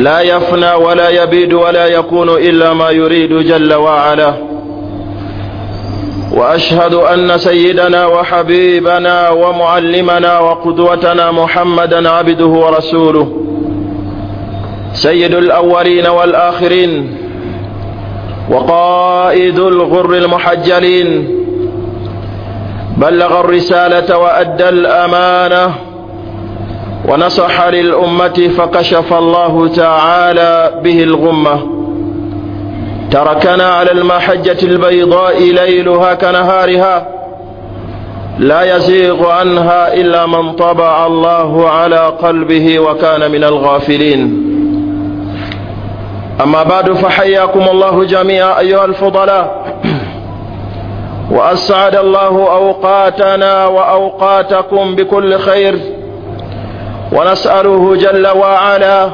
لا يفنى ولا يبيد ولا يكون إلا ما يريد جل وعلا. وأشهد أن سيدنا وحبيبنا ومعلمنا وقدوتنا محمدا عبده ورسوله، سيد الأولين والآخرين، وقائد الغر المحجلين، بلغ الرسالة وأدى الأمانة ونصح للأمة، فكشف الله تعالى به الغمة، تركنا على المحجة البيضاء ليلها كنهارها، لا يزيغ عنها إلا من طبع الله على قلبه وكان من الغافلين. أما بعد، فحياكم الله جميعا أيها الفضلاء، وأسعد الله أوقاتنا وأوقاتكم بكل خير، ونسأله جل وعلا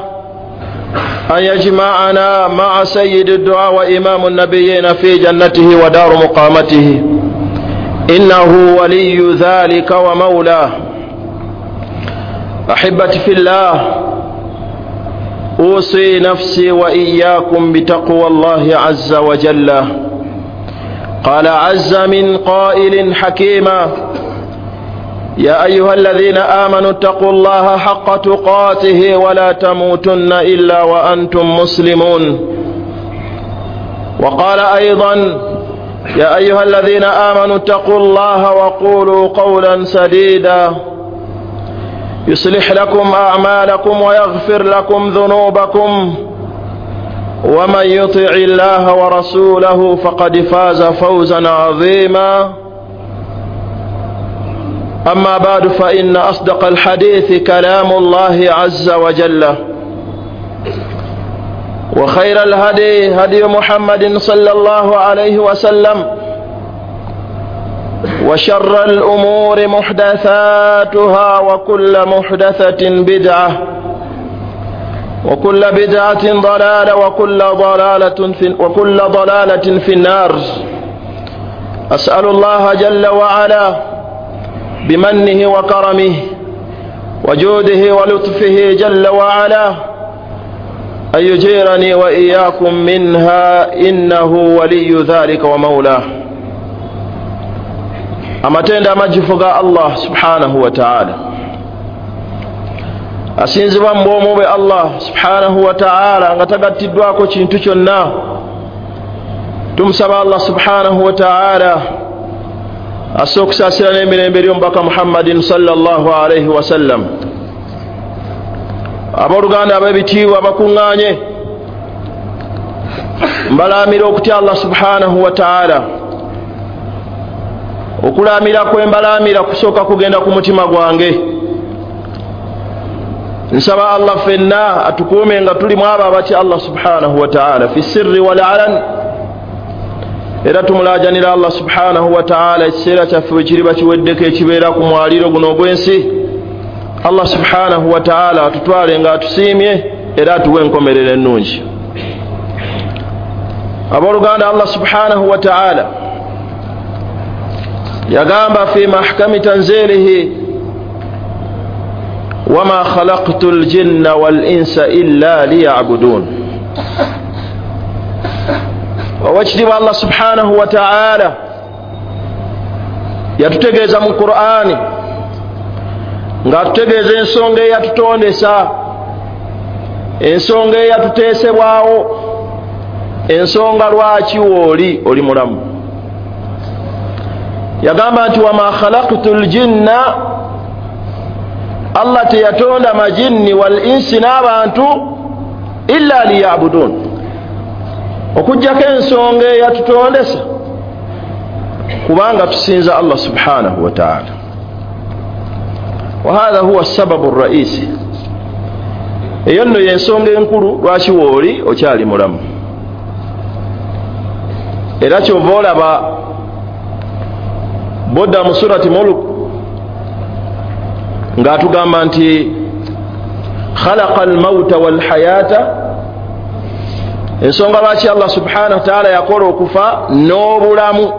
أن يجمعنا مع سيد الدعاء وإمام النبيين في جنته ودار مقامته، إنه ولي ذلك ومولاه. أحبتي في الله، أوصي نفسي وإياكم بتقوى الله عز وجل. قال عز من قائل حكيما: يا أيها الذين آمنوا اتقوا الله حق تقاته ولا تموتن إلا وأنتم مسلمون. وقال أيضا: يا أيها الذين آمنوا اتقوا الله وقولوا قولا سديدا يصلح لكم أعمالكم ويغفر لكم ذنوبكم، ومن يطع الله ورسوله فقد فاز فوزا عظيما. أما بعد، فإن أصدق الحديث كلام الله عز وجل، وخير الهدي هدي محمد صلى الله عليه وسلم، وشر الأمور محدثاتها، وكل محدثة بدعة، وكل بدعة ضلالة، وكل ضلالة في النار. أسأل الله جل وعلا بمنه وكرمه وجوده ولطفه جل وعلا أن يجيرني وإياكم منها، إنه ولي ذلك ومولاه. Amatendo amajjuvu ga Allah subhanahu wa ta'ala, asinzibwa mu bwomu bwe Allah subhanahu wa ta'ala nga tagattiddwako kintu kyonna. Tumusaba Allah subhanahu wa ta'ala asse okusaasira n'emirembe eri omubaka Muhammadin sallallahu alaihi wasallam. Abooluganda ab'ebitiibwa bakuŋŋaanye, mbalaamira okutya Allah subhanahu wa ta'ala. Okulaamira kwe mbalaamira kusooka kugenda ku mutima gwange. Nsaba Allah ffenna atukuume nga tuli mu abo abatya Allah subhanahu wa ta'ala fi sirri wal alan. Era tumulaajanira Allah subhanahu wa ta'ala ekiseera kyaffe bwe kiriba kiweddeko ekibeera ku mwaliiro guno ogw'ensi, Allah subhanahu wa ta'ala atutwale nga atusiimye era atuwe enkomerero ennungi. Abooluganda, Allah subhanahu wa ta'ala yagamba fi mahkami tanzilihi: wama khalaqtu ljinna wal insa illa liyabudun. Owekitiibwa Allah subhanahu wa ta'ala yatutegeeza mu Qur'ani ng'atutegeeza ensonga eyatutondesa, ensonga eyatuteesebwawo, ensonga lwaki wooli oli mulamu. Yagamba nti wama khalaqtu ljinna, Allah teyatonda majinni wal insi n'abantu illa liyabudun, okuggyako ensonga eyatutondesa kubanga tusinza Allah subhanahu wa ta'ala. Wahadha huwa sababu raisi, eyo nno y'ensonga enkulu lwaki wooli okyali mulamu. Era kyova olaba bodda mu surati Mulk ng'atugamba nti khalaqa almauta walhayata, ensonga lwaki Allah subhanahu wa ta'ala yakola okufa n'obulamu,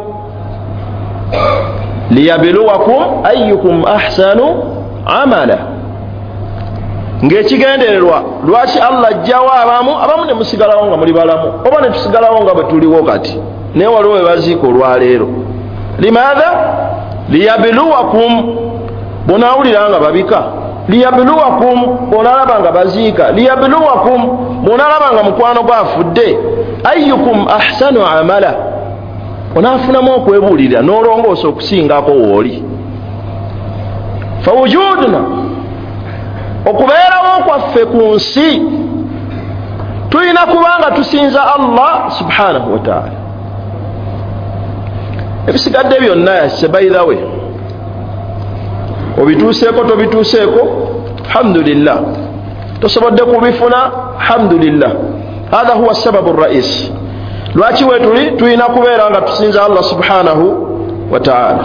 liyabluwakum ayyukum ahsanu amala, Ng'ekigendererwa lwaki Allah ajjawo abamu ne musigalawo nga muli balamu, oba ne tusigalawo nga bwe tuliwo kati, naye waliwo we baziika olwaleero. Limaatha? Liyabluwakum. Bw'onaawulira nga babika, liyabluwakum. Bw'onaalaba nga baziika, liyabluwakum. Bw'onaalaba nga mukwano gwafudde, ayyukum ahsanu amala, onaafunamu okwebuulirira n'olongoosa okusingako w'oli. Fawujuduna, okubeerawo kwaffe ku nsi, tulina kubanga tusinza Allah subhanahu wa ta'ala. Ebisigadde byonna yase, by the way, obituuseeko tobituuseeko, alhamdulillah. Tosobodde kubifuna, alhamdulillah. Hatha huwa sababu rais lwaki wetuli tulina kubeera nga tusinza Allah subhanahu wa ta'ala.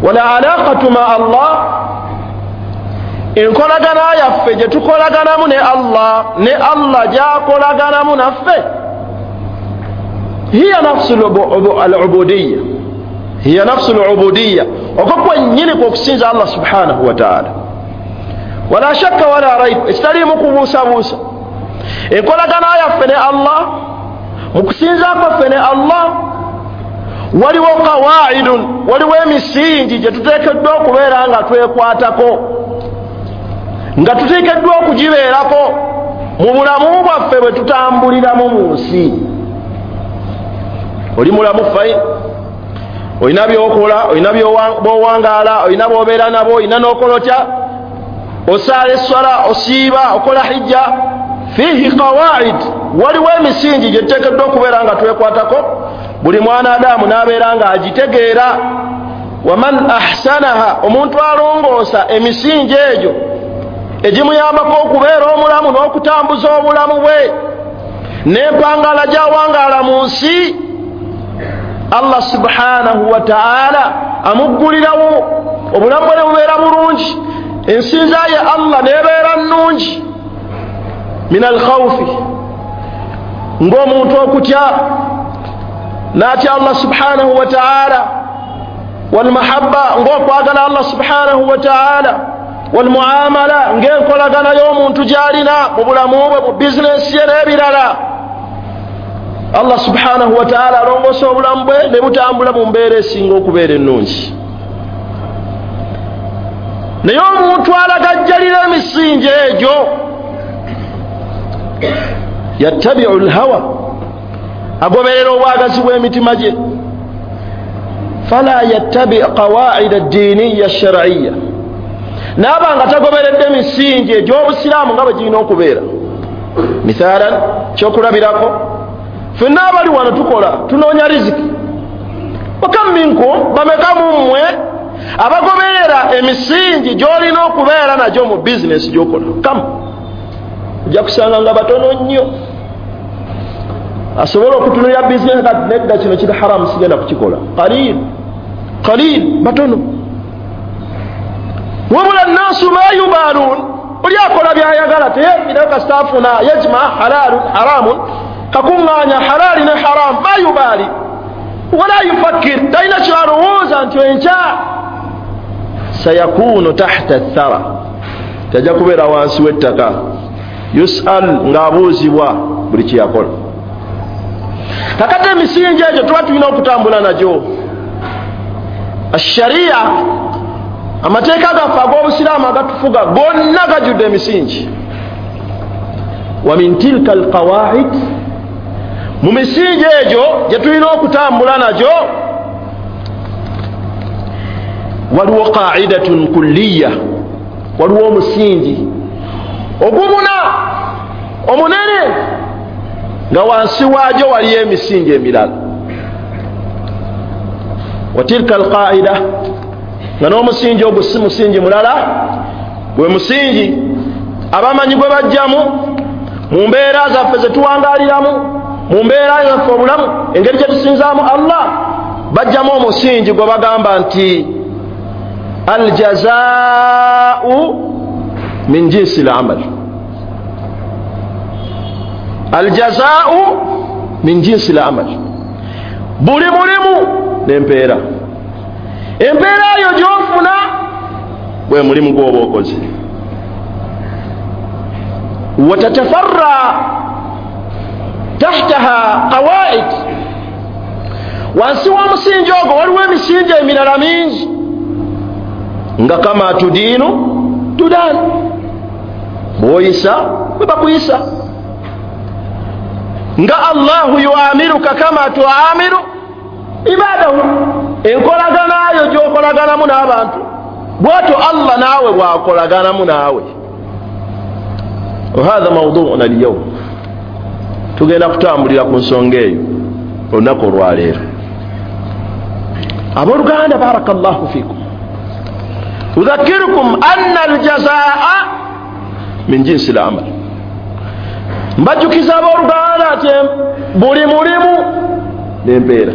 Wala alaqatu ma Allah, enkolagana yaffe gye tukolaganamu ne Allah, ne Allah gy'akolaganamu naffe, hiya nafsu al-ubudiyya, hiya nafsu al-ubudiyya, okwo kwennyini kw'okusinza Allah subhanahu wa ta'ala. Wala shakka wala raib, ekitaliimu kubuusabuusa, enkolagana yaffe ne Allah, mu kusinza kwaffe ne Allah, waliwo qawaidun, waliwo emisingi gye tuteekeddwa okubeera nga twekwatako, nga tuteekeddwa okugibeerako mu bulamu bwaffe bwe tutambuliramu mu nsi. Oli mulamu fine, olina by'okola, olina bw'owangaala, olina bw'obeera nabo, olina n'okola otya, osaala esswala, osiiba, okola hijja. Fiihi qawaid, waliwo emisingi gye tuteekeddwa okubeera nga twekwatako, buli mwana adamu n'abeera nga agitegeera. Waman ahsanaha, omuntu alongoosa emisingi egyo egimuyambako okubeera omulamu n'okutambuza obulamu bwe n'empangala gy'awangaala mu nsi, Allah subhanahu wa ta'ala amuggulirawo obulamu bwe ne bubeera bulungi, ensinza ye Allah n'ebeera nnungi. Min alkhawfi, ng'omuntu okutya n'atya Allah subhanahu wa ta'ala, walmahabba, ng'okwagala Allah subhanahu wa ta'ala, walmuamala, ng'enkolagana y'omuntu gy'alina mu bulamu bwe, mu bizinensi ye n'ebirala. Allah subhanahu wa ta'ala alongoosa obulamu bwe ne butambula mu mbeera esinga okubeera ennungi. Naye omuntu alagajjalira emisingi egyo, yattabiu lhawa, agoberera obwagazi bw'emitima gye. Fala yattabi qawaida addiiniya alshar'iyya, naaba nga tagoberedde emisingi egy'obusiraamu nga bwe girina okubeera. Mithalan, kyokulabirako, ffenna abali wano tukola, tunoonya riziki. Wakam minkum, bameka mu mmwe abagoberera emisingi gy'olina okubeera nagyo mu bizinesi gy'okola? Kamu ojja kusanga nga batono nnyo asobola okutunulira bizinesi kati nedda, kino kiri haramu, sigenda kukikola. Qalil qalil, batono. Wabula nnaasu ma yubalun, oli akola byayagala, teyefirayo kasita afuna, yajma halalun haramun, kakuŋŋaanya halali ne haramu, ma yubali wala yufakir, talina kyalowooza nti enkya sayakunu tahta thara, tajja kubeera wansi w'ettaka, yusal, ng'abuuzibwa buli kyeyakola. Kakati emisingi egyo tuba tulina okutambula nagyo. Ashariya, amateeka gaffe ag'obusiraamu agatufuga gonna gajjudde emisingi. Wa min tilka alqawaid, mu misingi egyo gye tulina okutambula nagyo waliwo qaidatun kulliya, waliwo omusingi ogubuna omunene nga wansi waagyo waliyo emisingi emirala. Wa tilka alqaida, nga n'omusingi ogwo si musingi mulala, gwe musingi abamanyi gwe bajjamu mu mbeera zaffe ze tuwangaaliramu, mu mbeera zaffe obulamu, engeri gye tusinzaamu Allah, bajjamu omusingi gwe bagamba nti aljazaau min jinsi lamal, aljazaau min jinsi lamal, buli mulimu n'empeera. Empeera eyo gy'ofuna Gwe mulimu gwoba okoze. Watatafarra tahtaha qawaid, wansi w'omusingi ogwo waliwo emisingi emirala mingi, nga kama tudiinu tudan, bw'oyisa bwe bakuyisa, nga Allahu yuamiruka kama tuamiru ibadahu, enkolaganayo gy'okolaganamu n'abantu bw'atyo Allah naawe bw'akolaganamu naawe. Wahadha mawduuna alyawm, tugenda kutambulira ku nsonga eyo olunaku olwaleero. Abooluganda, barakallahu fikum, udhakirukum anna aljazaa min jinsi lamal. Mbajjukiza abooluganda nti buli mulimu n'empeera,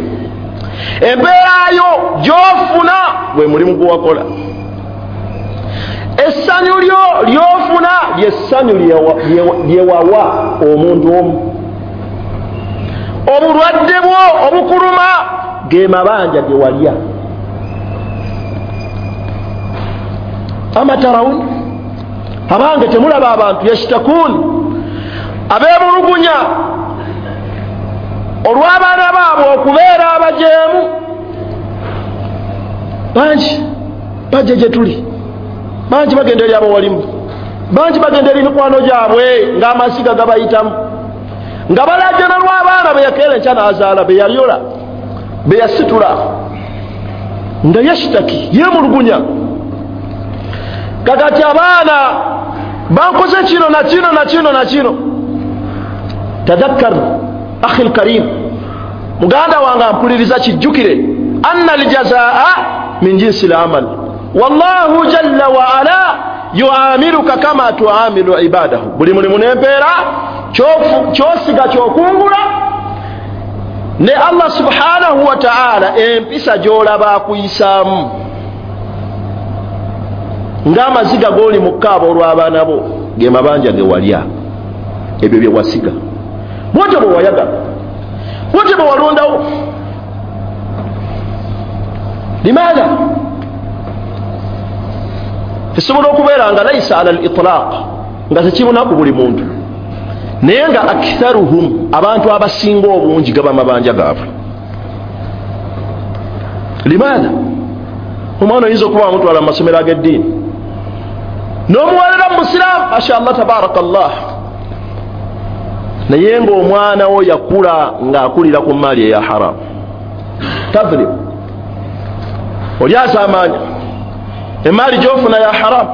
empeerayo gy'ofuna gwe mulimu gwewakola, essanyu lyo ly'ofuna lyessanyu lyewawa omuntu omu, obulwadde bwo obukuluma ge mabanja ge walya. Amatarawun, abange temulaba abantu yashtakun, abeemulugunya olw'abaana baabwe okubeera abajeemu. Bangi bajja gye tuli, bangi bagenda eri abawalimu, bangi bagenda eri mikwano gyabwe ng'amasiga gabayitamu, nga balajana lw'abaana be yakeera enkya n'azaala, be yalyola, be yasitula, nga yashtaki, yeemulugunya. Kakati abaana bankoze kino na kino na kino na kino. Tadhakkar akhi lkarim, muganda wange ampuliriza, kijjukire anna aljazaa min jinsi lamal, wallahu jalla waala yuamiruka kama tuamilu ibadahu. Buli mulimu n'empeera, kyosiga kyokungula, ne Allah subhanahu wa ta'ala empisa gy'olaba akuyisaamu, ng'amaziga g'oli mu kkaaba olw'abaana bo ge mabanja ge walya, ebyo bye wasiga, bwotyo bwe wayagala, bwotyo bwe walondawo. Limaadha? Esobola okubeera nga laisa ala al-itlaq, nga tekibunaku buli muntu, naye nga aktharuhum, abantu abasinga obungi gaba mabanja gaabwe. Limaadha? Omwana oyinza okuba wamutwala mu masomero ag'eddiini n'omuwalira mu busiraamu, masha Allah tabarakallah, naye ng'omwana wo yakula ng'akulira ku maali eya haramu. Tadhlim, oli asaamaanya emaali gy'ofuna ya haramu,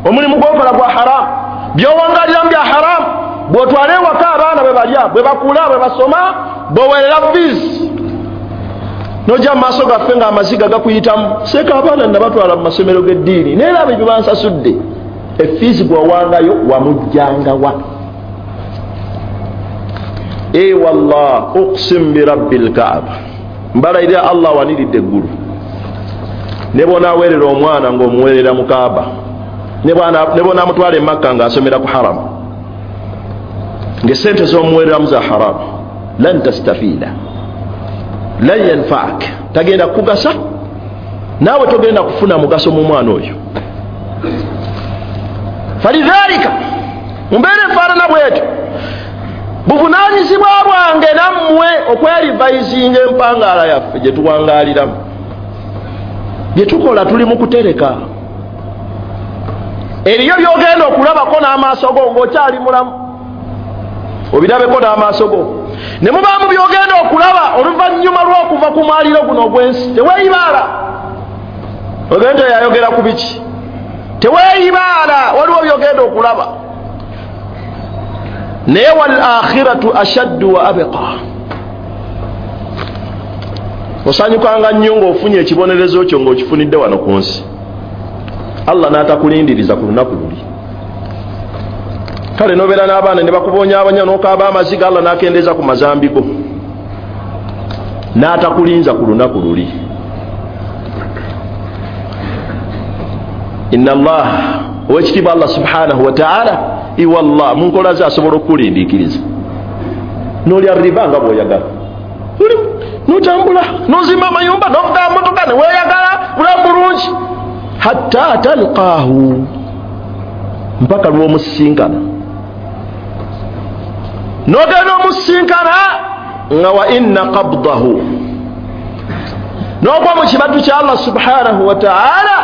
omulimu gw'okola gwa haramu, by'owangaliramu bya haramu, bw'otwala ewaka abaana bwe balya, bwe bakula, bwe basoma, bw'owerera fees, nojja mu maaso gaffe ng'amaziga gakuyitamu, seeka abaana nabatwala mu masomero g'eddiini, naye laba ebyo bansasudde. Efiizi gwewawangayo wamujjangawa? E wallah, uqsim birabbi lkaaba, mbalayirira Allah awaniridde eggulu, ne bw'onaaweerera omwana ng'omuweerera mu Kaaba, ne bw'onaamutwala e Makka ng'asomera ku haramu, ng'essente z'omuweereramu za haramu, lan tastafiida, lan yanfaak, tagenda kukugasa, naawe togenda kufuna mugaso mu mwana oyo. Falidhalika, mu mbeera efaanana bwetyo, buvunaanyizibwa bwange nammwe okwerivayizinga empangaala yaffe gye tuwangaaliramu. Bye tukola tuli mu kutereka. Eriyo by'ogenda okulabako n'amaaso go ng'okyali mulamu, obirabeko n'amaaso go, ne mubaamu by'ogenda okulaba oluvannyuma lw'okuva ku mwaliro guno ogw'ensi. Teweeyibaala, ogenda yayogera ku biki? Teweeyibaala, waliwo by'ogenda okulaba. Naye wal akhiratu ashaddu wa abqa, osanyukanga nnyo ng'ofunye ekibonerezo kyo ng'okifunidde wano ku nsi, Allah n'atakulindiriza ku lunaku luli. Kale nobeera n'abaana ne bakubonyabonya n'okaaba amaziga, Allah n'akendeeza ku mazambi go, n'atakulinza ku lunaku luli. Inna Allah, owekitiibwa Allah subhanahu wa ta'ala, iwallah mu nkola ze asobola okukulindiikiriza, n'olya riba nga bw'oyagala, notambula nozimba amayumba, novuga motoka, neweeyagala, bulamu bulungi. Hatta talqahu, mpaka lw'omusisinkana. N'ogenda omusisinkana nga wa inna qabdahu, n'ogwa mu kibatu kya Allah subhanahu wa ta'ala,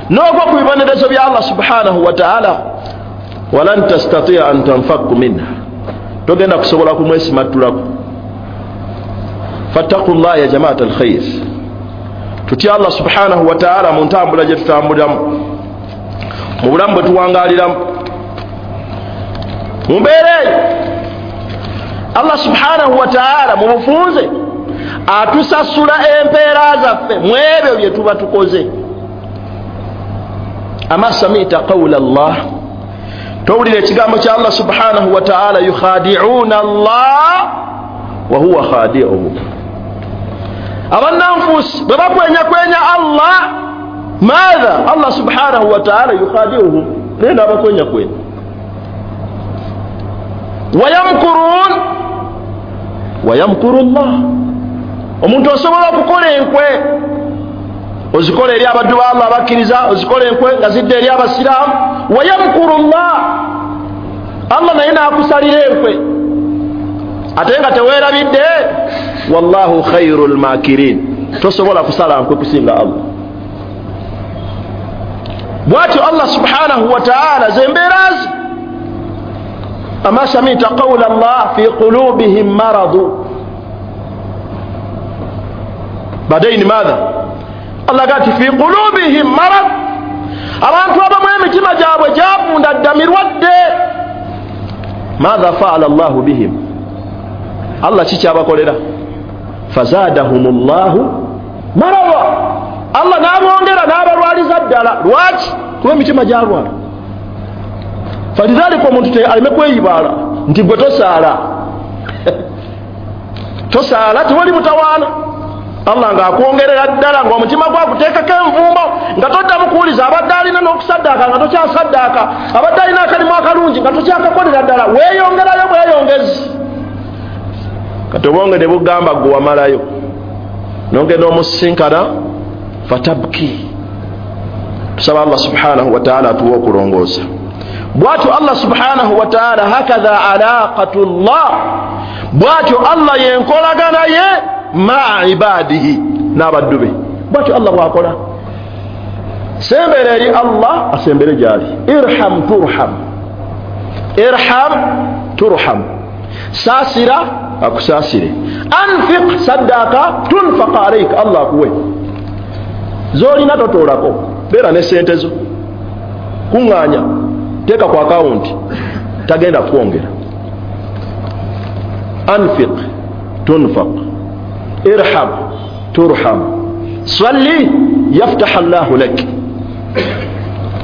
n'ogwa ku bibonerezo bya Allah subhanahu wa ta'ala. Walan tastatia an tanfaku minha, togenda kusobola kumwesimattulako. Fattaqullah ya jamaat alkhair, tutya Allah subhanahu wa ta'ala mu ntambula gye tutambuliramu, mu bulamu bwe tuwangaliramu. Mu mbeera eyo Allah subhanahu wa ta'ala mu bufunze atusasula empeera zaffe mu ebyo bye tuba tukoze. Ama samita qawla Allah, towulira ekigambo kya Allah subhanahu wa ta'ala, yukhadi'una Allah wa huwa khadi'uhum. Abannanfusi bwe bakwenyakwenya Allah, maatha Allah subhanahu wa ta'ala yukhadi'uhum, naye n'abakwenyakwenya. Wayamkurun wayamkuru Allah, omuntu osobola okukola enkwe, ozikola eri abaddu ba Allah abakkiriza, ozikola enkwe nga zidda eri abasiraamu. Wayamkuru Allah, Allah naye n'akusalira enkwe ate nga teweerabidde. Wallahu khairul makirin, tosobola kusala nkwe kusinga Allah. Bwatyo Allah subhanahu wa ta'ala zembeera ze. Ama samita qawla Allah fi qulubihim maradu, badaini madha Allah gati fi qulubihim marad, abantu abamu emitima gyabwe gyavunda dda mirwadde. Madha faala Allahu bihim, Allah kikyabakolera? Fazadahum llahu marada, Allah n'abongera n'abalwaliza ddala. Lwaki? Kuba emitima gyalwala. Falidhalika omuntu aleme kweyibaala nti gwe tosaala tosaala, tewali mutawaana. Allah ng'akwongerera ddala ng'omutima gwakuteekako envumbo, nga toddamu kuwuliza. Abadde alina n'okusaddaaka nga tokyasaddaaka, abadde alina akalimu akalungi nga tokyakakolera ddala, weeyongerayo bweyongezi. Kati obwonge ne bugamba gwe wamalayo, nongenda omusisinkana fatabki. Tusaba Allah subhanahu wa ta'ala atuwe okulongoosa. Bwatyo Allah subhanahu wa ta'ala, hakadha alaqatullah, bwatyo Allah yenkolagana ye maa ibadihi, n'abaddu be. Bwatyo Allah bwakola. Sembera eri Allah, asembere gyali. Irham turham, irham turham, saasira akusaasire. Anfiq saddaaka tunfaqa alaika, Allah akuwe. Zolina totoolako, beera ne sente zo, kuŋŋaanya, teeka ku akawunti, tagenda kwongera. Anfiq tunfaq, irham turham, salli yaftaha Allahu lak.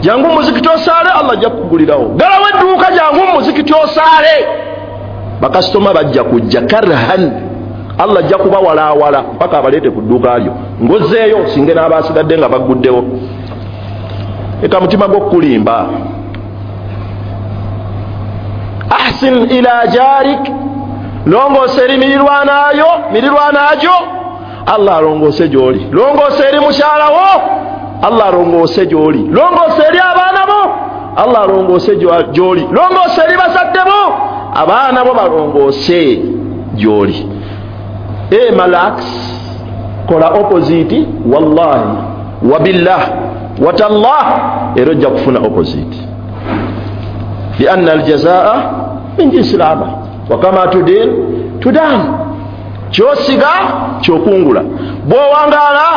Jangu muzikiti osaale, Allah ajja kukugulirawo. Galawo edduuka, jangu muzikiti osaale, bakasitoma bajja kujja karhan, Allah ajja kubawalaawala mpaka abaleete ku dduuka lyo, ng'ozzeeyo singe n'abaasigadde nga bagguddewo. Eka mutima gw'okukulimba. Ahsin ila jarik, longoosa eri mirirwanaayo, Allah alongoose gy'oli. Longoosa eri mukyalawo, Allah alongoose gy'oli. Longoosa eri abaana bo, Allah alongoose gy'oli. Longoosa eri bazadde bo, abaana bo balongoose gy'oli. Malax, kola opposite, wallahi wabillah watallah, era ojja kufuna opposite. Lianna aljazaa min jinsi lamal, wakama tudin tudan, kyosiga kyokungula. Bw'owangaala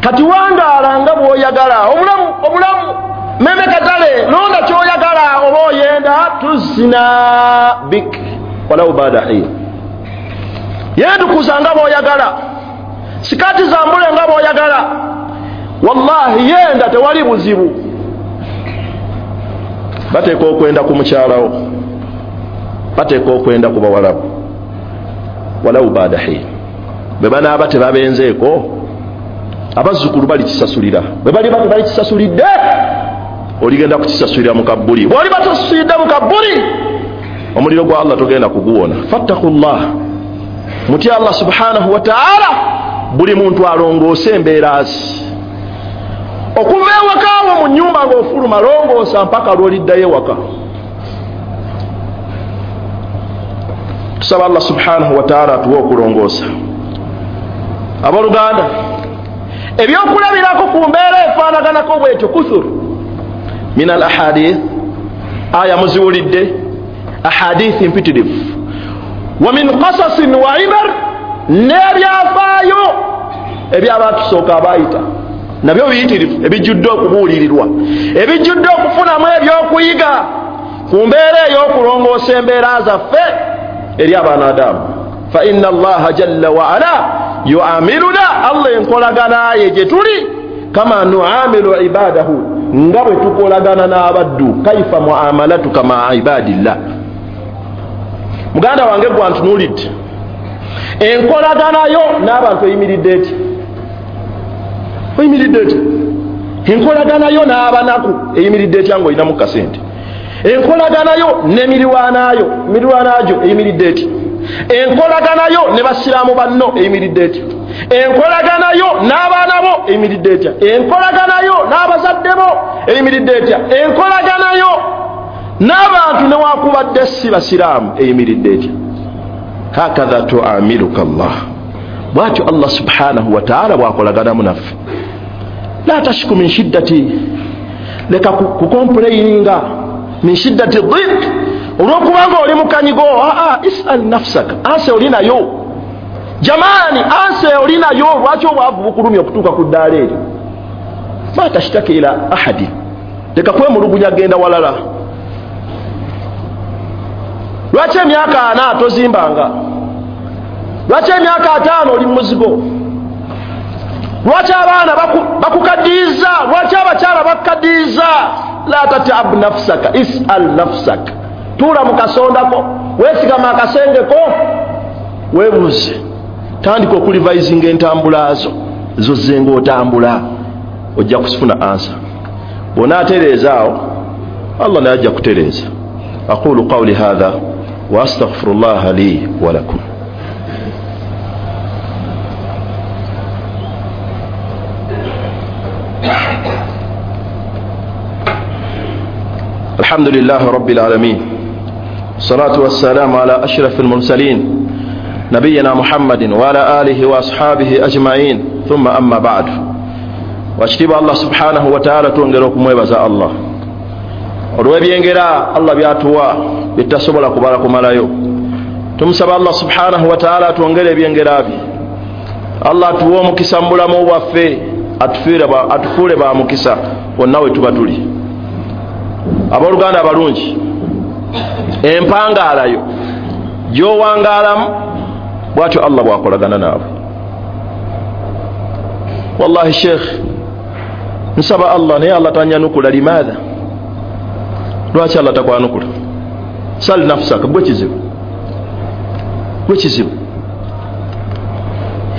kati wangaala nga bw'oyagala, obulamu obulamu meme katale, londa ky'oyagala oba oyenda, tuzina bik walau bada hin. Yeetukuza nga bw'oyagala, sikati zambule nga bw'oyagala, wallahi yenda tewali buzibu. Bateeka okwenda ku mukyalawo, bateeka okwenda ku bawalabu, walau bada hin. Bwe banaaba tebabenzeeko, abazzukulu balikisasulira. Bwe baliba tebalikisasulidde, oligenda kukisasulira mu kabbuli. Bw'oliba tosasulidde mu kabbuli, omuliro gwa Allah togenda kuguwona. Fattakullah, mutye Allah subhanahu wa ta'ala. Buli muntu alongoose embeera ze. Okuva ewakaawo mu nnyumba ng'ofuluma, longoosa mpaka lw'oliddayo ewaka. Tusaba Allah subhanahu wa ta'ala atuwe okulongoosa. Abooluganda, ebyokulabirako ku mbeera efaanaganako bwetyo kuthur min al ahadith, aya muziwulidde, ahadithi mpitirivu, wa min qasasin wa ibar, n'ebyafaayo ebyabatusooka abaayita nabyo biyitirivu, ebijjudde okubuulirirwa, ebijjudde okufunamu ebyokuyiga ku mbeera ey'okulongoosa embeera zaffe eri abaana Adamu. Fa inna Allaha jalla wa ala yuamiluna, Allah enkolagana ye gye tuli, kama nuamilu ibadahu, nga bwe tukolagana n'abaddu. Kaifa muamalatuka maa ibadillah. Muganda wange gwantunuulidde, enkolaganayo n'abantu eyimiridde eti? Oyimiridde eti? Enkolaganayo n'abanaku eyimiridde etya ng'olinamu kasente? Enkolaganayo n'emiriraano gyo eyimiridde eti? Enkolaganayo ne basiraamu banno eyimiridde etya? Enkolaganayo n'abaana bo eyimiridde etya? Enkolaganayo n'abazadde bo eyimiridde etya? Enkolaganayo n'abantu newakubadde si basiraamu eyimiridde etya? Hakadha tuamiluka Allah, bwatyo Allah subhanahu wa ta'ala bwakolaganamu naffe. La tashku min shiddati, leka kukomplaininga min shiddati dhiq, olwokubanga oli mukanyigo. Isal nafsaka, anse oli nayo jamani, anse oli nayo. Lwaki obwavu bukulumya okutuuka ku ddaala eryo? Ma tashtaki ila ahadi, leka kwemulugunya genda walala. Lwaki emyaka 40 tozimbanga? Lwaki emyaka 5 oli muzigo? Lwaki abaana bakukaddiiza? Lwaki abakyala bakukaddiiza? La tatab nafsaka, isal nafsaka. Tuula mu kasondako, weesigama akasengeko, weebuuze. Tandika okulivayizinga entambula zo zozze ng'otambula, ojja kufuna ansa. Bw'onaatereeza awo, Allah naye ajja kutereeza. Aqulu qawli hadha wa astaghfirullaha li wa lakum. الحمد لله رب العالمين، الصلاة والسلام على أشرف المرسلين نبينا محمد وعلى آله وأصحابه أجمعين، ثم أما بعد. Wakitiibwa Allah subhanahu wa ta'ala, twongera okumwebaza Allah olw'ebyengera Allah byatuwa byetasobola kubala kumalayo. Tumusaba Allah subhanahu wa ta'ala atwongere ebyengera bye. Allah atuwe omukisa mu bulamu bwaffe, atufuule ba mukisa wonna we tuba tuli. Abooluganda abalungi, empangaalayo gy'owangaalamu bwatyo Allah bw'akolagana naawe. Wallahi sheikh, nsaba Allah naye Allah tanyanukula. Limaadha? Lwaki Allah takwanukula? Sal nafsaka, gwe kizibu, gwe kizibu.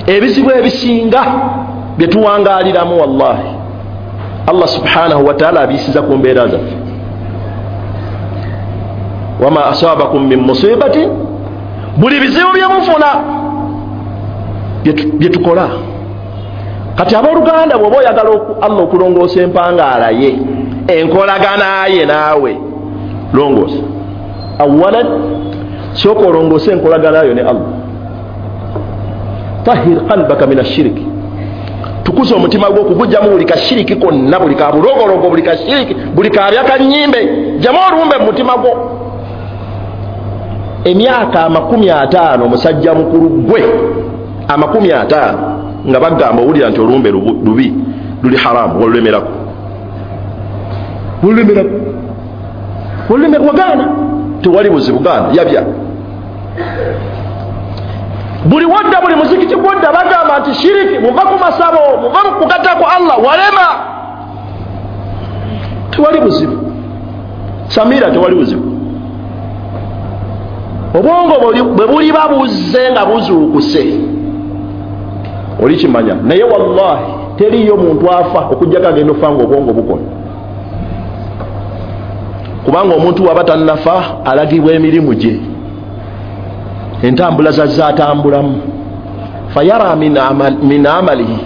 Ebizibu ebisinga bye tuwangaaliramu wallahi Allah subhanahu wa ta'ala abiyisiza ku mbeera zaffe. Wama asabakum min musibatin, buli bizibu bye mufuna bye tukola. Kati abooluganda, bw'oba oyagala Allah okulongoosa empangaala ye, enkolagana ye naawe, longoosa. Awalan, sooka olongoose enkolagana yo ne Allah. Tahir qalbaka min ashiriki, tukuza omutima gwo okugujjamu buli kashiriki konna, buli kabulogologo, buli kashiriki, buli kabya kanyimbe, jamu olumbe mu mutima gwo. Emyaka 50 omusajja mukulu gwe 50 nga bagamba owulira nti olumbe lubi, luli haramu, wolulemerako, wolulemerako, wolulemerako, wagaana, tewali buzibu, gaana yabya. Buli wadda, buli muzikiti gwodda bagamba nti shiriki, muva ku masabo, muva mu kugatta ku Allah, walema, tewali buzibu. Samira, tewali buzibu. Obwongo bwe buliba buzze nga buzuukuse olikimanya. Naye wallahi teriyo muntu afa okujjako agenda ofa nga obwongo bukola, kubanga omuntu waba tannafa alagibwa emirimu gye, entambula zazze atambulamu. Fayara min amalihi,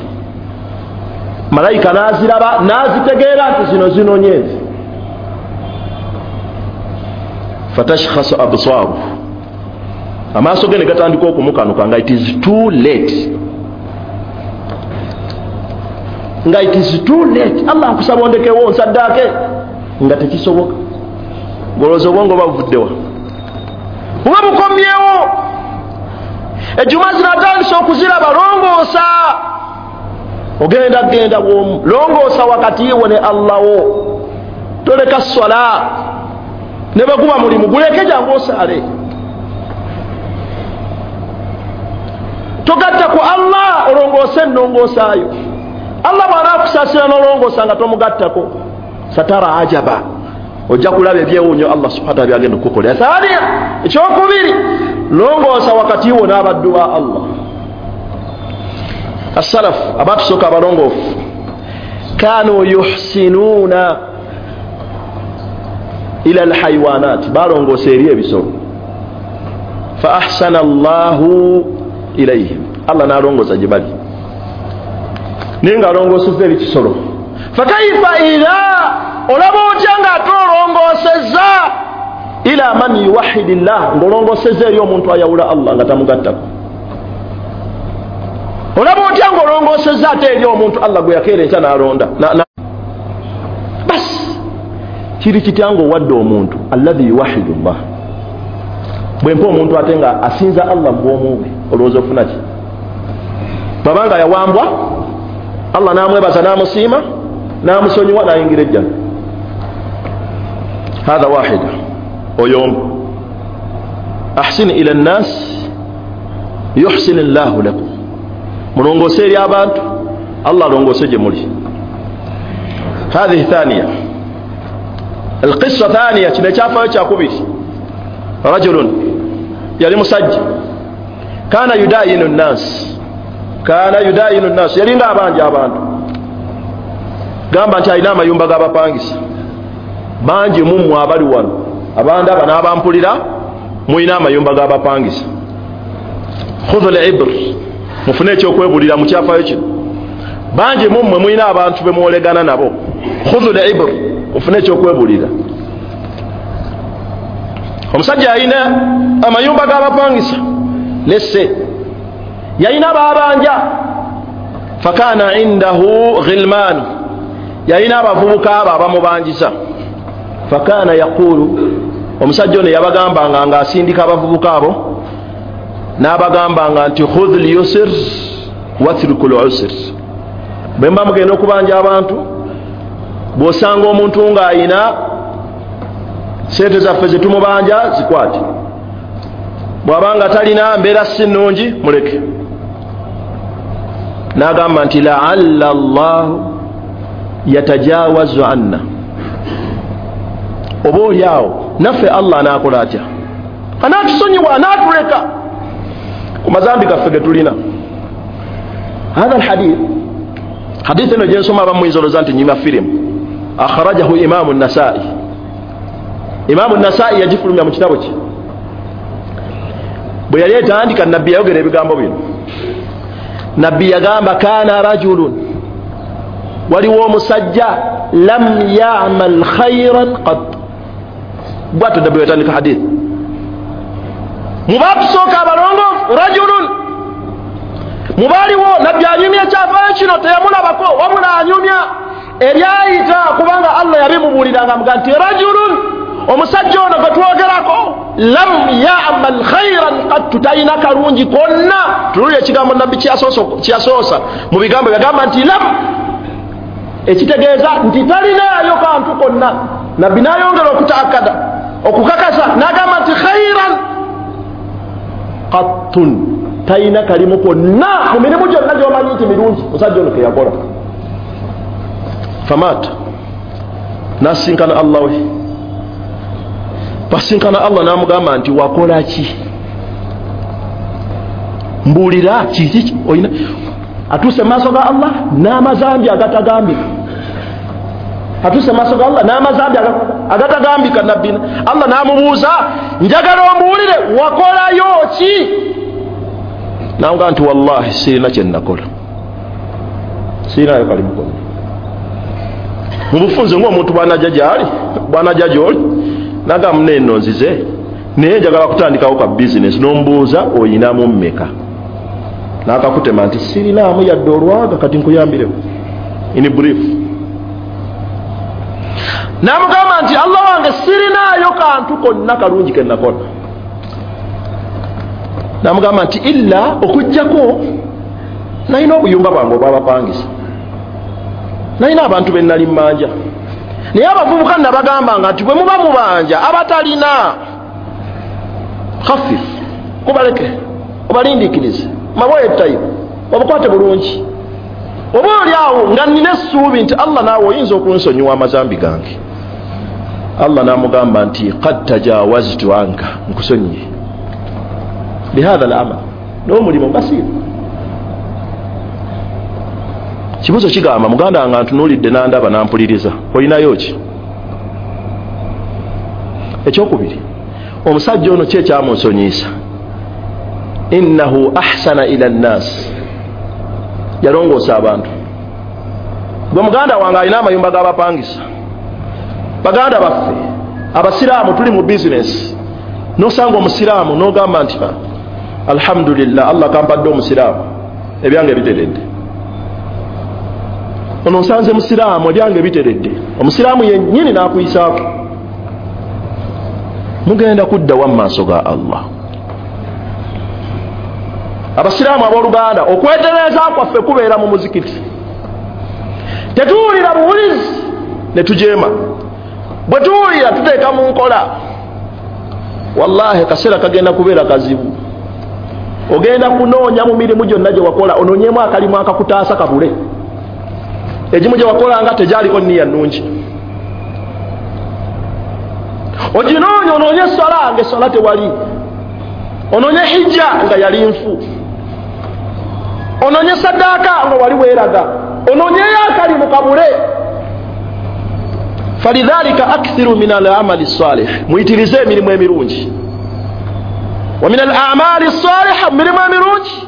Malayika n'aziraba n'azitegeera nti zino zinonye. Fatashkhasu absaaru, amaaso ge ne gatandika okumukanuka nga it is too late, nga it is too late. Allah nkusaba ondekewo nsaddaake, nga tekisoboka. Ng'olowooza obwongo bavuddewa, buba bukomyewo. Ejjuma zino atandise okuziraba, longoosa. Ogenda genda bwomu, longoosa wakati wo ne Allah wo, toleka swala. Ne bwe guba mulimu guleke jangu osaale, togatta ku Allah, olongoose ennongoosaayo. Allah bw'anaakusaasira n'olongoosa nga tomugattako, satara ajaba, ojja kulaba ebyewuunyo Allah subhanahu wa ta'ala byagenda okukukolera. Thaniya, ekyokubiri, longoosa wakati wo n'abaddu ba Allah. Asalafu abatusooka abalongoofu, kanu yuhsinuuna ila alhayawanat, balongoosa eri ebisolo. Fa ahsana Allahu ilayhim, Allah n'alongoosa gye bali, naye ng'alongoosezza eri kisolo. Fakaifa idha, olaba otya ng'ate olongoosezza ila man yuwahidi llah, ng'olongoosezza eri omuntu ayawula Allah nga tamugattako. Olaba otya ng'olongoosezza ate eri omuntu Allah gwe yakeera enkya n'alonda. Basi kiri kitya ng'owadde omuntu alladhi yuwahidu llah, bwe mpa omuntu ate nga asinza Allah mu bwomu bwe, olowooza ofuna ki? Bw'aba nga yawambwa Allah n'amwebaza n'amusiima n'amusonyiwa n'ayingira ejjana. Hatha wahida, oyo omu. Ahsin ila nnas yuhsin llahu lakum, mulongoose eri abantu, Allah alongoose gye muli. Hathihi thaniya, alqissa thaniya, kino ekyafaayo kyakubiri. Rajulun, yali musajja, kana yudayinu nnas, kana yudayinu nnas, yalinga abanja abantu. Gamba nti alina amayumba g'abapangisa bangi mummwe abali wano, abandaba n'abampulira, mulina amayumba g'abapangisa. Khudhu al-ibr, mufune ekyokwebulira mu kyafaayo kino. Bangi mummwe mulina abantu be mwolegana nabo. Khudhu al-ibr, mufune ekyokwebulira. Omusajja yalina amayumba g'abapangisa, lesse yalina babanja. Fakana indahu ghilman, yalina abavubuka abo abamubanjisa. Fakana yaqulu, omusajja ono yabagambanga ng'asindika abavubuka abo, n'abagambanga nti khudh lyusr watruku lusr. Bwe mba mugenda okubanja abantu, bw'osanga omuntu ng'ayina sente zaffe zetumubanja zikwate, bw'abanga talina mbeera si nnungi muleke. N'agamba nti laalla llahu yatajawazu anna, oba oli awo naffe Allah anaakola atya? Anaatusonyiwa, anaatuleka ku mazambi gaffe ge tulina. Hatha alhadith, hadithi eno gyensoma abamu muyinza olowooza nti nyima firimu. Akhrajahu Imamu Nasai, Imamu Nasai yagifulumya mu kitabo kye. Bwe yali etandika, nabbi yayogera ebigambo bino. Nabbi yagamba kana rajulun, waliwo omusajja lam yamal khairan qat. Bwatyo nabbi yatandika hadithi, mubatusooka abalongoofu rajulun, mubaaliwo. Nabbi anyumya ekyafaayo kino teyamulabako, wabula anyumya ebyayita, kubanga Allah yabimubuuliranga amuga nti rajulun, omusajja ono gwe twogerako lam yamal khairan qattu, talina kalungi konna. Tululira ekigambo nabbi kyeyasoosa mu bigambo, yagamba nti lam, ekitegeeza nti talinaayo kantu konna. Nabbi n'ayongera okutaakada, okukakasa, n'agamba nti khairan qattun, talina kalimu konna mu mirimu gyonna gy'omanyi nti mirungi musajja ono keyakola. Famata, n'asinkana Allah we. Basinkana Allah n'amugamba nti wakola ki? Mbuulira kiki olina? Atuuse mu maaso ga Allah n'amazambi agatagambika, atuuse mu maaso ga Allah n'amazambi agatagambika. Nabbi Allah n'amubuuza, njagala ombuulire wakolayo ki? N'amugamba nti wallahi sirina kye nakola. Sirinayo kalimu konna. Mu bufunze ng'omuntu bw'anajja gy'ali, bw'anajja gy'oli, nagamba munne nno nzize, naye njagala kutandikawo ka bizinesi, n'omubuuza oyinamu mmeka? N'akakutema nti sirinaamu yadde olwaga, kati nkuyambirewo. In brief. N'amugamba nti Allah wange sirinaayo kantu konna kalungi ke nakola. N'amugamba nti illa okuggyako nalina obuyumba bwange obwabapangisa, nalina abantu be nali mmanja, naye abavubuka nabagambanga nti bwe muba mubanja abatalina khafifu kubaleke, obalindiikirize, maboye tayibu, obukwate bulungi, oba oli awo nga nnina essuubi nti Allah naawe oyinza okunsonyiwa amazambi gange. Allah n'amugamba nti qad tajawaztu anka, nkusonyiye bihadha al-amal, n'omulimu basiiru. Kibuzo kigamba muganda wange antunuulidde n'andaba n'ampuliriza, olinayo ki? Ekyokubiri, omusajja ono ki ekyamunsonyiisa? Innahu ahsana ila nnas, yalongoosa abantu. Gwe muganda wange alina amayumba g'abapangisa, baganda baffe abasiraamu tuli mu bizinesi, nosanga omusiraamu n'ogamba nti alhamdulillah, Allah kampadde omusiraamu, ebyange biteredde. Ono nsanze musiraamu, ebyange biteredde. Omusiraamu yennyini n'akuyisaako. Mugenda kudda wa maaso ga Allah. Abasiraamu abooluganda, okwetereeza kwaffe kubeera mu muzikiti. Tetuwulira buwulizi ne tujeema, bwe tuwulira tuteeka mu nkola. Wallahi kaseera kagenda kubeera kazibu. Ogenda kunoonya mu mirimu gyonna gye wakola, onoonyemu akalimu akakutaasa kabule. Egimu gye wakolanga tegyaliko nniya nnungi, oginoonya, onoonye esswala nga esswala tewali, onoonye hijja nga yali nfu, onoonye saddaaka nga wali weeraga, onoonyeyo akalimu kabule. Falidhalika akthiru min al-amali salih, muyitirize emirimu emirungi. Wa min al-amali saliha, mirimu emirungi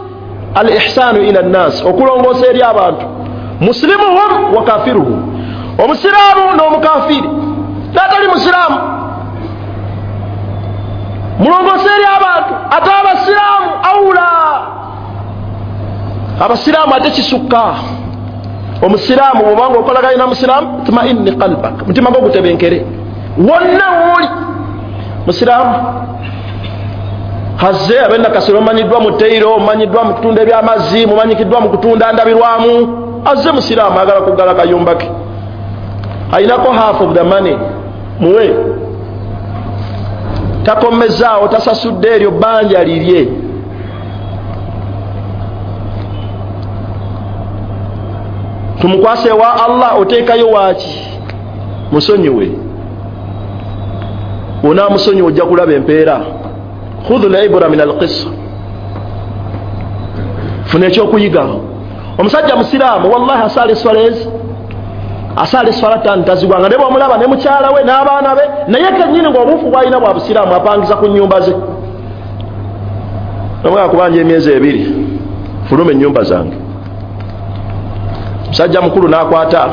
al-ihsanu ila nnas, okulongoosa eri abantu, muslimuhum wa kafiruhum, omusiraamu n'omukafiri n'atali musiraamu, mulongoose eri abantu. Ate abasiraamu aula, abasiraamu ate kisukka. Omusiraamu bw'obanga okolaganye na musiraamu, tmainni qalbak, mutima gwo gutebenkere wonna wooli. Musiraamu hazze ab'ennakasero, omanyiddwa mu teyiro, omanyiddwa mu kutunda ebyamazzi, mumanyikiddwa mu kutunda ndabirwamu, azze musiraamu ayagala kuggala kayumba ke, ayinako half of the money, muwe. Takomezaawo, tasasudde eryo bbanja lirye. Tumukwase wa Allah, oteekayo waaki? Musonyiwe. Onaamusonyiwa ojja kulaba empeera. Khudhu al-ibra min al-qissa, funa ekyokuyiga. Omusajja musiraamu wallahi asaala esswala ezi, asaala esswala ttaano tazigwanga, ne bw'omulaba ne mukyala we n'abaana be, naye kennyini ng'obuufu bw'alina bwa busiraamu, apangisa ku nnyumba ze. Nomwaka kubanja emyezi 2, fuluma ennyumba zange. Musajja mukulu n'akwata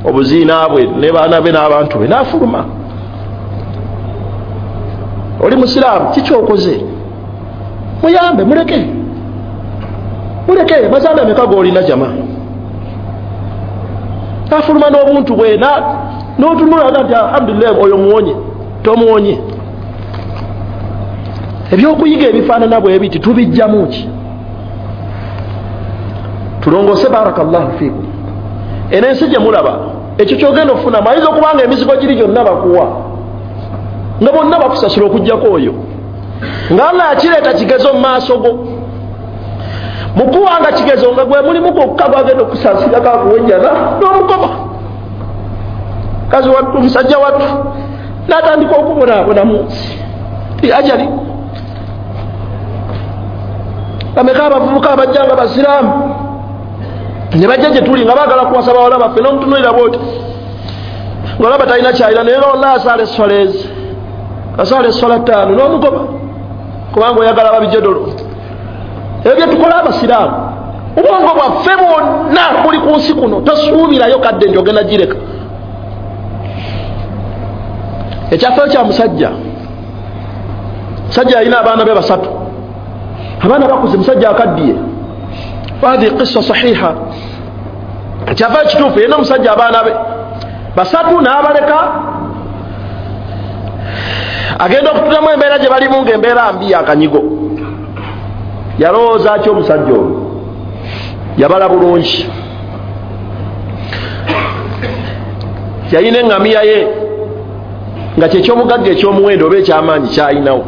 obuziina bwe ne baana be n'abantu be n'afuluma. Oli musiraamu, kikyokoze? Muyambe, muleke, muleke. Mazambi ameka g'olina jama? Afuluma n'obuntu bwe n'otunula nti alhamdulillah, oyo muwonye. Tomuwonye. Ebyokuyiga ebifaanana bwe biti tubijjamu ki? Tulongoose. Barakallahu fiikum. Eno ensi gye mulaba, ekyo kyogenda okufunamu, ayinza okuba nga emizigo giri gyonna bakuwa, nga bonna bakusasula okuggyako oyo, nga Allah yakireeta kigezo mu maaso go. Mukuwanga kigezo nga gwe mulimu gwokka gwagenda okusaasira kakuwenjana n'omugoba. Kazi wattu, omusajja wattu n'atandika okubonaabona mu nsi ajali. Bameka abavubuka abajja nga basiraamu ne bajja gye tuli nga baagala kuwasa bawala baffe, n'omutunuulira bw'oti ng'olaba talina kyalina, naye nga wallahi asaala esswala ezi, asaala esswala 5 n'omugoba, kubanga oyagala babijedolo. Ebyo bye tukola abasiraamu, Obwongo bwaffe bwonna buli ku nsi kuno, tosuubirayo kadde nti ogenda gireka. Ekyafaayo kya musajja, musajja yalina abaana be basatu, abaana bakuze, musajja akaddiye. Hadhihi qissa sahiha, ekyafaayo kituufu. Yalina omusajja abaana be basatu n'abaleka, agenda okutulamu embeera gye balimu ng'embeera mbi yakanyigo. Yalowooza ki omusajja ono? Yabala bulungi, yalina eŋŋamiya ye nga kyekyomugagga ekyomuwendo oba ekyamaanyi kyalinawo,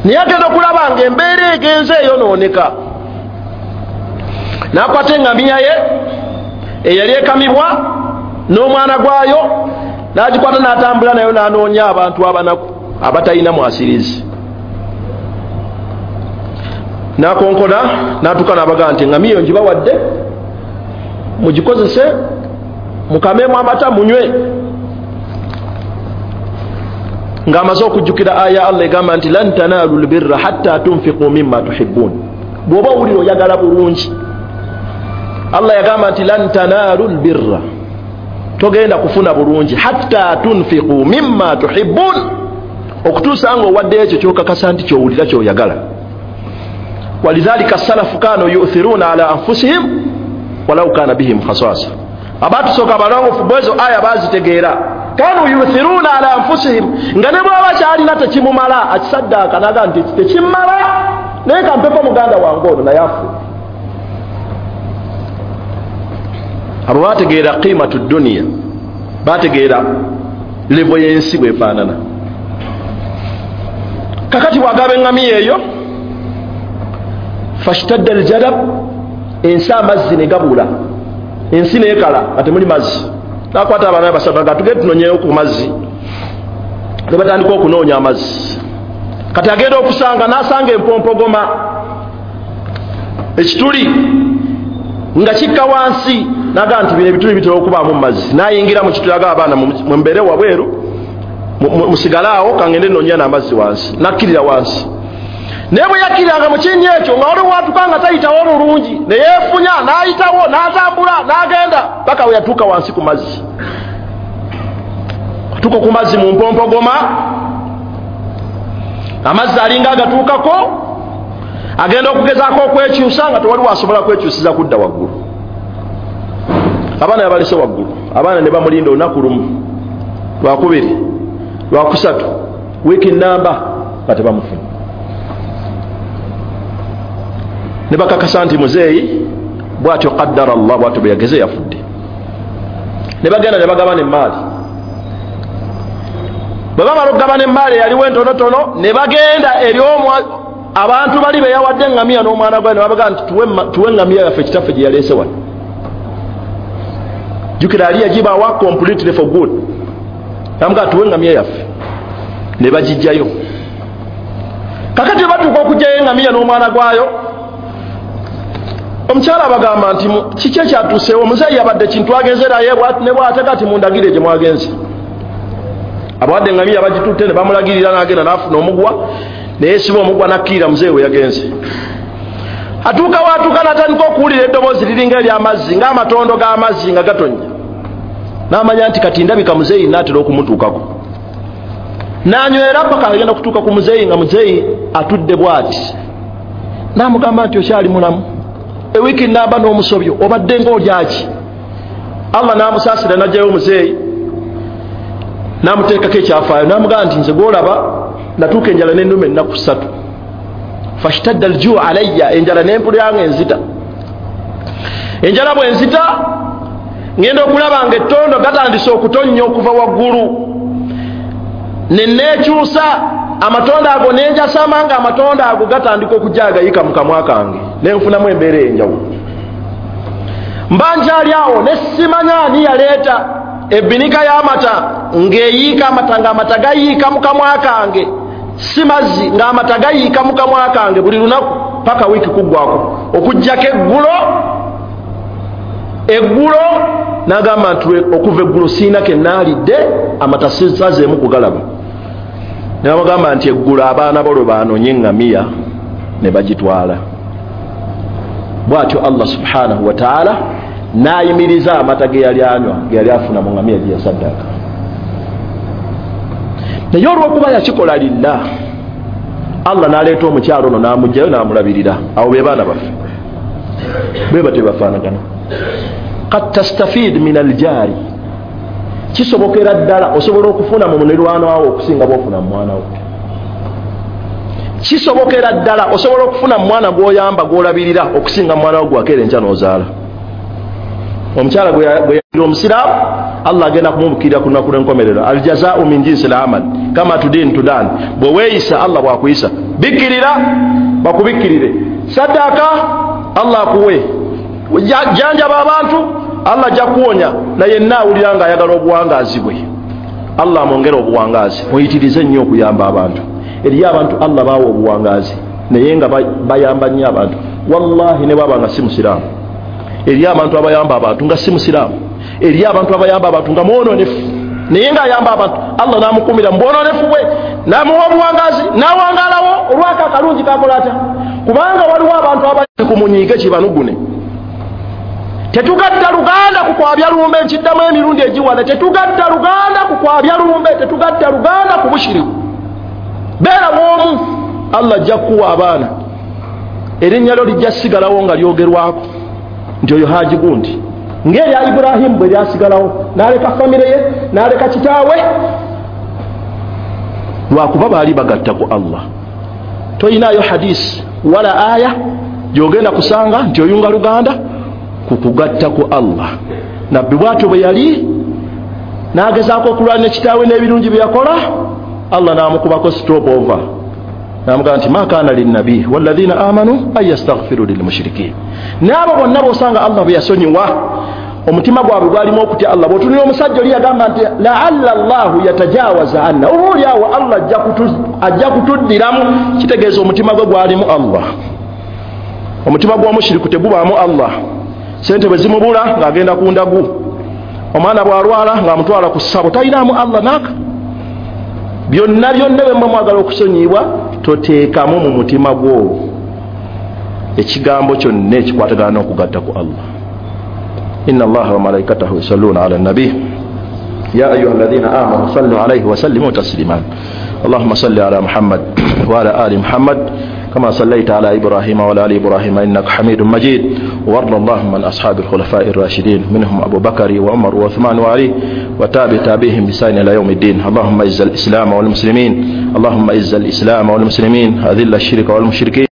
naye agenda okulaba nga embeera egenze eyonooneka, n'akwata eŋŋamiya ye eyali ekamibwa n'omwana gwayo, n'agikwata n'atambula nayo n'anoonya abantu abanaku abatalina mwasirizi, n'akonkona n'atuuka n'abagaa nti eŋŋamiya eyo ngibawadde mugikozese mukamemu amata munywe. Ng'amaze okujjukira aya Allah egamba nti lan tanalu lbirra hatta tunfiqu mimma tuhibbun. Bw'oba owulira oyagala bulungi, Allah yagamba nti lan tanalu lbirra, togenda kufuna bulungi hatta tunfiqu mimma tuhibbun, okutuusa nga owadde ekyo kyokakasa nti kyowulira kyoyagala. Walidhalika salafu kanu yu'thiruna ala anfusihim walau kana bihim khasasa. Abatusooka abalongofu bwezo aya bazitegeera, kanu yu'thiruna ala anfusihim, nga ne bw'aba kyalina tekimumala akisaddaaka naga nti tekimala, naye kampeko muganda wange ono naye afu. Abo bategeera qimatu duniya, bategeera levo y'ensi bwefaanana. Kakati bw'agaba eŋŋamiya eyo, fashtadda aljadab, ensi amazzi ne gabula, ensi neekala nga temuli mazzi. Nakwata abaana basatu nga tugende tunonyeyo ku mazzi, ne batandika okunoonya amazzi. Kati agenda okusanga n'asanga empompogoma, ekituli nga kikka wansi, naga nti bino ebituli bitera okubaamu mazzi. N'ayingira mu kituli agaba abaana mumbeere wabweru, musigale awo kangende nnoonya n'amazzi wansi. N'akkirira wansi, naye bwe yakkiriranga mu kinnya ekyo nga waliwo watuuka nga tayitawo bulungi, ne yeefunya n'ayitawo n'atambula n'agenda paka we yatuuka wansi ku mazzi. Atuuka ku mazzi mu mpompogoma, amazzi alinga agatuukako, agenda okugezaako okwekyusa nga tewaliwo asobola kwekyusiza kudda waggulu. Abaana yabalese waggulu, abaana ne bamulinda olunaku lumu, lwakubiri, lwakusatu, wiiki namba nga tebamufuna. Ne bakakasa nti muzeeyi bw'atyo qaddara Allah, bw'atyo bwe yageze yafudde. Ne bagenda ne bagabana emmaali. Bwe bamala okugabana emmaali eyaliwo entonotono, ne bagenda eri abantu bali be yawadde eŋŋamiya n'omwana gwayo, ne babagaa nti tuwe eŋŋamiya yaffe kitaffe gye yaleese wano. Jjukira ali yagibawa completely for good, namugaa tuwe eŋŋamiya yaffe, ne bagijjayo. Kakati bwe batuuka okuggyayo eŋŋamiya n'omwana gwayo, omukyala abagamba nti kiki ekyatuuseewo? Omuzeeyi yabadde kintu agenze naye ne bw'ate kati mundagire gye mwagenze. Abawadde eŋŋamiya bagitutte ne bamulagirira, n'agenda n'afuna omugwa, neyeesiba omugwa n'akkirira muzeeyi we yagenze. Atuuka waatuuka n'atandika okuwulira eddoboozi liringa ery'amazzi, ng'amatondo g'amazzi nga gatonnya. N'amanya nti kati ndabika muzeeyi naatera okumutuukako. N'anywera paka agenda okutuuka ku muzeeyi nga muzeeyi atudde bw'ati. N'amugamba nti okyali mulamu, ewiiki namba n'omusobyo obadde ng'olyaki? Allah n'amusaasira n'aggyayo muzeeyi n'amuteekako ekyafaayo, n'amugamba nti nze gw'olaba natuuka enjala n'ennuma ennaku ssatu, fashtadda aljuu alayya, enjala n'empulira nga enzita. Enjala bwe nzita ngenda okulaba nga ettondo gatandise okutonnya okuva waggulu, ne neekyusa amatondo ago nenjasama nga amatondo ago gatandika okujja agayika mu kamwa kange, nenfunamu embeera ey'enjawulo. Mba nkyali awo ne simanya ani yaleeta ebbinika y'amata ng'eyiika amata, ng'amata gayiika mu kamwa kange, si mazzi, ng'amata gayiika mu kamwa kange buli lunaku paka wiiki kuggwako, okuggyako eggulo. N'agamba nti okuva eggulo siina ke naalidde, amata sisazeemu kugalaba. Ne bamugamba nti eggulo abaana bo lwe baanonye eŋŋamiya ne bagitwala. Bw'atyo Allah subhanahu wa ta'ala n'ayimiriza amata ge yali anywa, ge yali afuna mu ngamiya gye yasaddaaka. Naye olw'okuba yakikola lillah, Allah n'aleeta omukyalo ono n'amugjayo n'amulabirira. Awo be baana baffe bwe batyo bafaanagana. Qad tastafid min aljaari, kisobokera ddala osobola okufuna mu muliraano wo okusinga bw'ofuna mu mwana wo. Kisobokera ddala osobola okufuna mu mwana gw'oyamba gw'olabirira okusinga mu mwana wo gwakeera enkya n'ozaala. Omukyala gwe yalira omusiraamu, Allah agenda kumubukirira ku lunaku lw'enkomerero. Aljazaau min jinsi l-amal kama tudin tudan, bwe weeyisa Allah bw'akuyisa. Bikkirira bakubikkirire, saddaaka Allah akuwe, janjaba abantu Allah ajja kuwonya. Naye yenna awulira ng'ayagala obuwangaazi bwe, Allah amwongere obuwangaazi. Muyitirize nnyo okuyamba abantu. Eriyo abantu Allah baawa obuwangaazi naye nga bayamba nnyo abantu. Wallahi ne bwaba nga si musiraamu, eriyo abantu abayamba abantu nga si musiraamu, eriyo abantu abayamba abantu nga mwononefu naye ng'ayamba abantu. Allah n'amukumira mu bwononefu bwe, n'amuwa obuwangaazi, n'awangaalawo olwako akalungi kakola atya. Kubanga waliwo abantu abali ku munyiige kibanugune. Tetugatta luganda ku kwabya lumbe, nkiddamu emirundi egiwala. Tetugatta luganda ku kwabya lumbe, tetugatta luganda ku bushiriku. Beera bw'omu, Allah ajja kukuwa abaana, erinnya lyo lijja sigalawo nga lyogerwako nti oyo Haji gundi, ng'erya Ibrahimu bwe lyasigalawo, n'aleka famire ye, n'aleka kitaawe, lwakuba baali bagatta ku Allah. Toyinaayo hadisi wala aya gy'ogenda kusanga nti oyunga luganda ku kugatta ku Allah. Nabbi bw'atyo bwe yali n'agezaako okulwana kitaawe n'ebirungi bye yakola, Allah n'amukubako stop over, n'amugamba nti ma kaana linnabi walladhina amanu an yastaghfiru lilmushrikin. N'abo bonna b'osanga Allah bwe yasonyiwa, omutima gwabwe gwalimu okutya Allah. Bw'otunula omusajja oli yagamba nti laalla Allahu yatajawaza anna, oba oli awo Allah ajja kutuddiramu. Kitegeeza omutima gwe gwalimu Allah. Omutima gw'omushiriku tegubaamu Allah. Sente bwe zimubula ng'agenda ku ndagu, omwana bw'alwala ng'amutwala ku ssabo, talinaamu Allah naaka. Byonna byonna bwe mwagala okusonyiyibwa, toteekamu mu mutima gwo ekigambo kyonna ekikwatagana n'okugatta ku Allah. Inna Allaha wa malaikatahu yusalluna ala nabi ya ayuha alladhina amanu sallu alayhi wa sallimu taslima. Allahumma salli ala Muhammad wa ala ali Muhammad كما صليت على إبراهيم وعلى آل إبراهيم إنك حميد مجيد. وارض اللهم عن أصحاب الخلفاء الراشدين منهم أبو بكر وعمر وعثمان وعلي وتابع تابعهم بإحسان إلى يوم الدين. اللهم أعز الإسلام والمسلمين، اللهم أعز الإسلام والمسلمين، أذل الشرك والمشركين.